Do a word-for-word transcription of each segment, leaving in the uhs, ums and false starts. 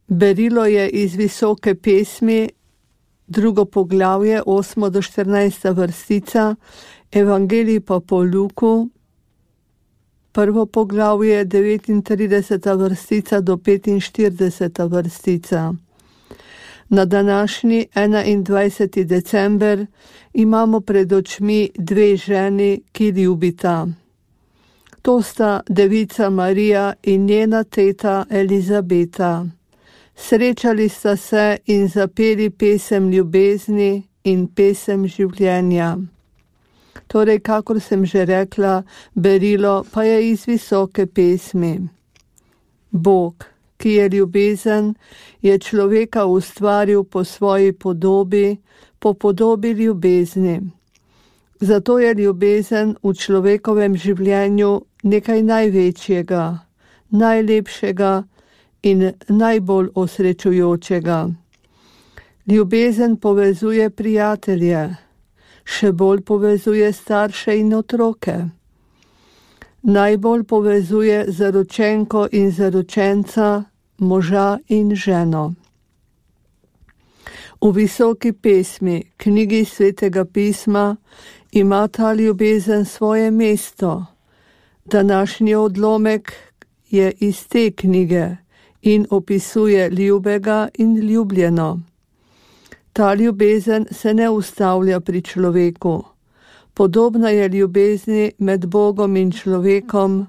Berilo je iz Visoke pesmi, drugo poglavje, osmo do štirinajsta vrstica, Evangelij pa po Luku, prvo poglavje, devetintrideseta vrstica do petinštirideseta vrstica. Na današnji enaindvajseti december imamo pred očmi dve ženi, ki ljubita. To sta devica Marija in njena teta Elizabeta. Srečali sta se in zapeli pesem ljubezni in pesem življenja. Torej, kakor sem že rekla, berilo pa je iz Visoke pesmi. Bog, ki je ljubezen, je človeka ustvaril po svoji podobi, po podobi ljubezni. Zato je ljubezen v človekovem življenju nekaj največjega, najlepšega in najbolj osrečujočega. Ljubezen povezuje prijatelje, še bolj povezuje starše in otroke. Najbolj povezuje zaročenko in zaročenca, moža in ženo. V Visoki pesmi, knjigi Svetega pisma, ima ta ljubezen svoje mesto. Današnji odlomek je iz te knjige in opisuje ljubega in ljubljeno. Ta ljubezen se ne ustavlja pri človeku. Podobna je ljubezni med Bogom in človekom,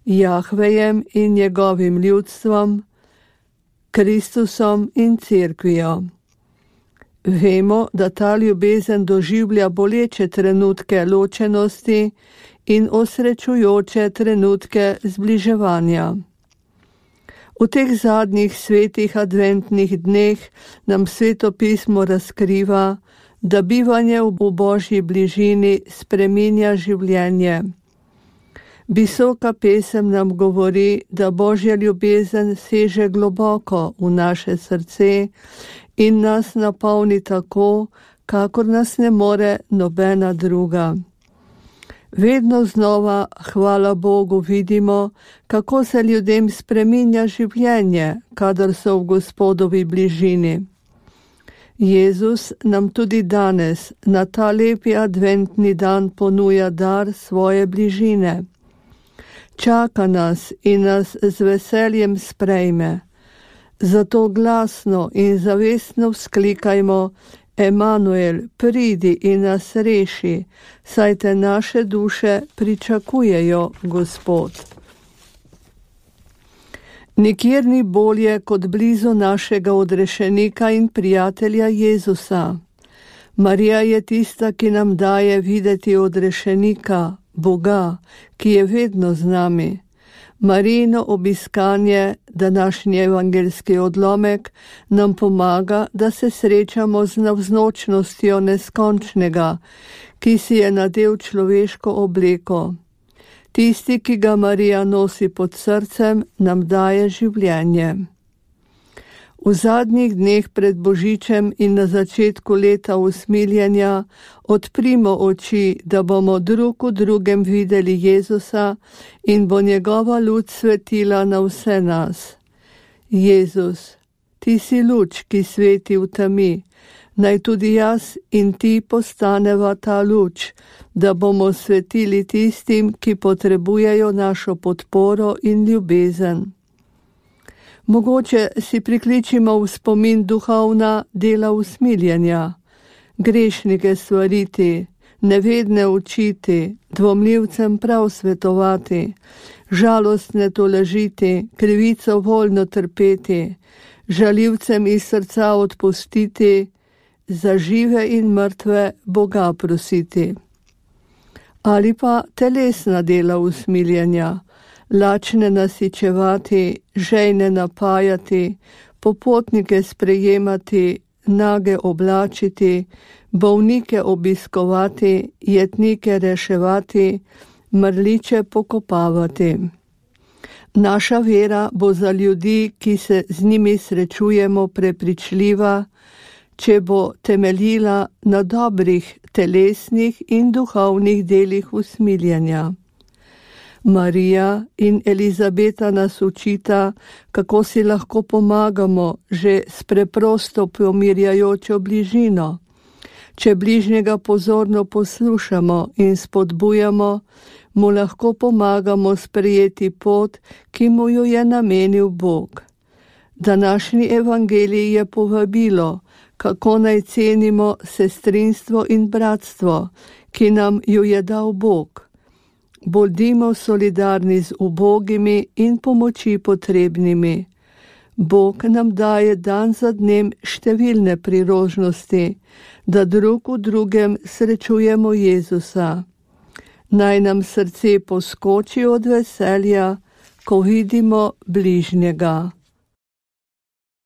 Jahvejem in njegovim ljudstvom, Kristusom in cerkvijo. Vemo, da ta ljubezen doživlja boleče trenutke ločenosti in osrečujoče trenutke zbliževanja. V teh zadnjih svetih adventnih dneh nam Sveto pismo razkriva, da bivanje v Božji bližini spreminja življenje. Visoka pesem nam govori, da Božja ljubezen seže globoko v naše srce in nas napolni tako, kakor nas ne more nobena druga. Vedno znova, hvala Bogu, vidimo, kako se ljudem spreminja življenje, kadar so v Gospodovi bližini. Jezus nam tudi danes, na ta lepi adventni dan, ponuja dar svoje bližine. Čaka nas in nas z veseljem sprejme. Zato glasno in zavestno vzklikajmo: Emanuel, pridi in nas reši, saj te naše duše pričakujejo, Gospod. Nikjer ni bolje kot blizu našega odrešenika in prijatelja Jezusa. Marija je tista, ki nam daje videti odrešenika, Boga, ki je vedno z nami. Marijino obiskanje, današnji evangeljski odlomek, nam pomaga, da se srečamo z navznočnostjo neskončnega, ki si je nadel človeško obleko. Tisti, ki ga Marija nosi pod srcem, nam daje življenje. V zadnjih dneh pred Božičem in na začetku leta usmiljenja odprimo oči, da bomo drug v drugem videli Jezusa in bo njegova luč svetila na vse nas. Jezus, ti si luč, ki sveti v temi, naj tudi jaz in ti postaneva ta luč, da bomo svetili tistim, ki potrebujejo našo podporo in ljubezen. Mogoče si prikličimo v spomin duhovna dela usmiljenja, grešnike svariti, nevedne učiti, dvomljivcem prav svetovati, žalostne tolažiti, krivico voljno trpeti, žaljivcem iz srca odpustiti, za žive in mrtve Boga prositi. Ali pa telesna dela usmiljenja, lačne nasičevati, žejne napajati, popotnike sprejemati, nage oblačiti, bolnike obiskovati, jetnike reševati, mrliče pokopavati. Naša vera bo za ljudi, ki se z njimi srečujemo, prepričljiva, če bo temeljila na dobrih telesnih in duhovnih delih usmiljenja. Marija in Elizabeta nas učita, kako si lahko pomagamo že s preprosto pomirjajočo bližino. Če bližnjega pozorno poslušamo in spodbujamo, mu lahko pomagamo sprejeti pot, ki mu jo je namenil Bog. Današnji evangelij je povabilo, kako naj cenimo sestrinstvo in bratstvo, ki nam ju je dal Bog. Bodimo solidarni z ubogimi in pomoči potrebnimi. Bog nam daje dan za dnem številne priložnosti, da drug v drugem srečujemo Jezusa. Naj nam srce poskoči od veselja, ko vidimo bližnjega.